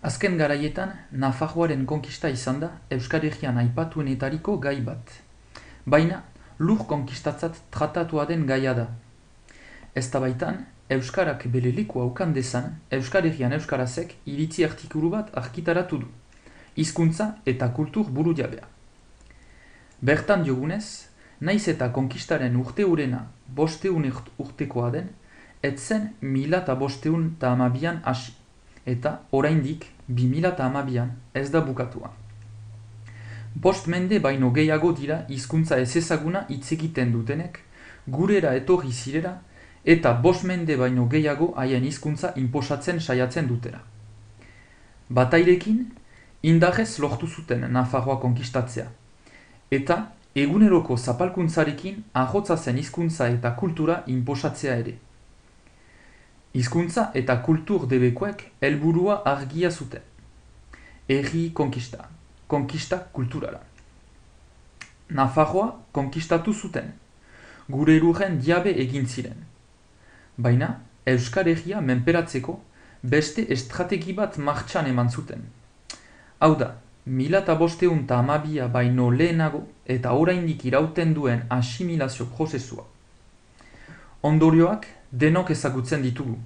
Azken garaietan, Nafarroaren konkista izan da Euskal Herrian aipatuenetariko gai bat. Baina, lur konkistatzat tratatua den gaia da. Eztabaitan, Euskarak bere lekua ukan dezan, Euskal Herrian Euskarazek iritzi artikulu bat argitaratu du. Hizkuntza eta kultur burujabea. Bertan diogunez, naiz eta konkistaren urteurena 500 urtekoa den, etzen 1512an hasi, eta oraindik 2012an ez da bukatua. 5 mende baino gehiago dira hizkuntza ezezaguna hitz egiten dutenek, gurera etorri zirera, eta 5 mende baino gehiago haien hizkuntza inposatzen saiatzen dutera. Batairekin, indarrez lortu zuten Nafarroa konkistatzea, eta eguneroko zapalkuntzarekin ahotsa zen hizkuntza eta kultura inposatzea ere. Hizkuntza eta kultur debekoek helburua argia zuten. Herri konkista, konkista kulturala. Nafarroa konkistatu zuten, gure lurren diabe egin ziren. Baina, Euskal Herria menperatzeko beste estrategi bat martxan eman zuten. Hau da, 1512 baino lehenago eta oraindik irauten duen asimilazio prozesua. Ondorioak denok ezagutzen ditugu.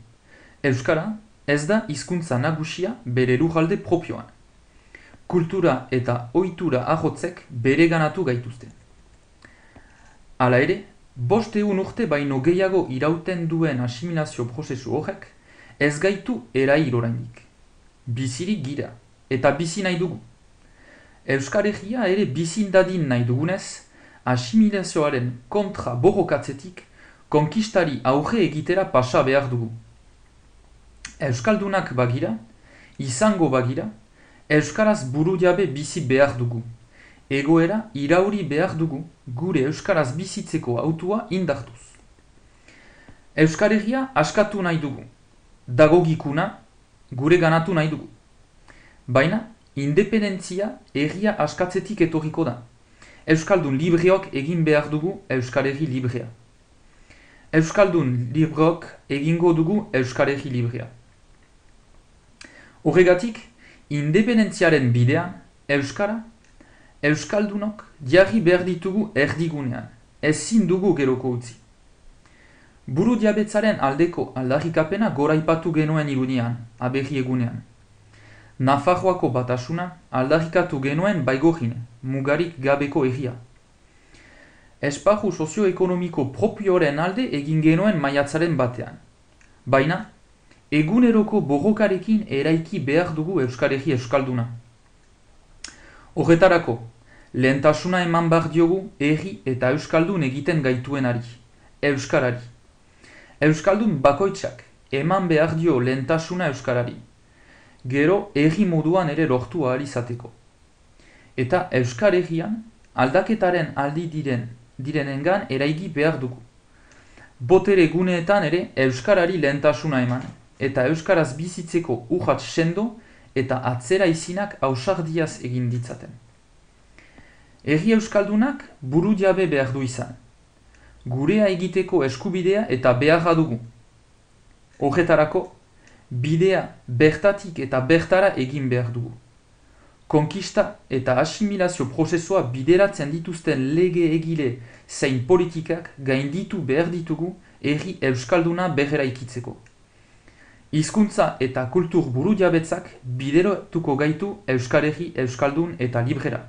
Euskara ez da hizkuntza nagusia bere lurralde propioan. Kultura eta ohitura ahotzek bereganatu gaituzte. Hala ere, 500 urte baino gehiago irauten duen asimilazio prozesu horrek ez gaitu erail oraindik. Bizirik gira eta bizi nahi dugu. Euskal Herria ere bizin dadin nahi dugunez, asimilazioaren kontra borrokatzetik konkistari aurre egitera pasa behar dugu. Euskaldunak bagira, izango bagira, Euskaraz burujabe bizi behar dugu. Egoera irauri behar dugu gure Euskaraz bizitzeko hautua indartuz. Euskal Herria askatu nahi dugu. Dagogikuna gure ganatu nahi dugu. Baina, independentzia herria askatzetik etorriko da. Euskaldun libreok egin behar dugu Euskal Herri librea. Euskaldun libreok egingo dugu Euskal Herri librea. Horregatik, independentziaren bidean, Euskara, Euskaldunok jarri behar ditugu erdigunean, ezin dugu geroko utzi. Buru diabetzaren aldeko aldarrikapena goraipatu genuen irunean, aberri egunean. Nafarroako batasuna aldarrikatu genuen baigorine, mugarik gabeko herria. Esparru sozioekonomiko propioren alde egin genuen maiatzaren batean. Baina, eguneroko borrokarekin eraiki behar dugu Euskal Herri Euskalduna. Horretarako, lehentasuna eman behar diogu herri eta Euskaldun egiten gaituenari, Euskarari. Euskaldun bakoitzak eman behar dio lehentasuna Euskarari. Gero herri moduan ere lortu ahal izateko. Eta Euskal Herrian aldaketaren aldi direnengan eraigi behar dugu. Botere guneetan ere Euskarari lehentasuna eman, eta Euskaraz bizitzeko urrats sendo eta atzera izinak ausardiaz egin ditzaten. Herri Euskaldunak burujabe behar du izan. Gurea egiteko eskubidea eta beharra dugu. Horretarako, bidea bertatik eta bertara egin behar dugu. Konkista eta asimilazio prozesua bideratzen dituzten lege egile zein politikak gainditu behar ditugu herri Euskalduna berreraikitzeko. Hizkuntza eta kultur burujabetzak bideratuko gaitu Euskal Herri Euskaldun eta librera.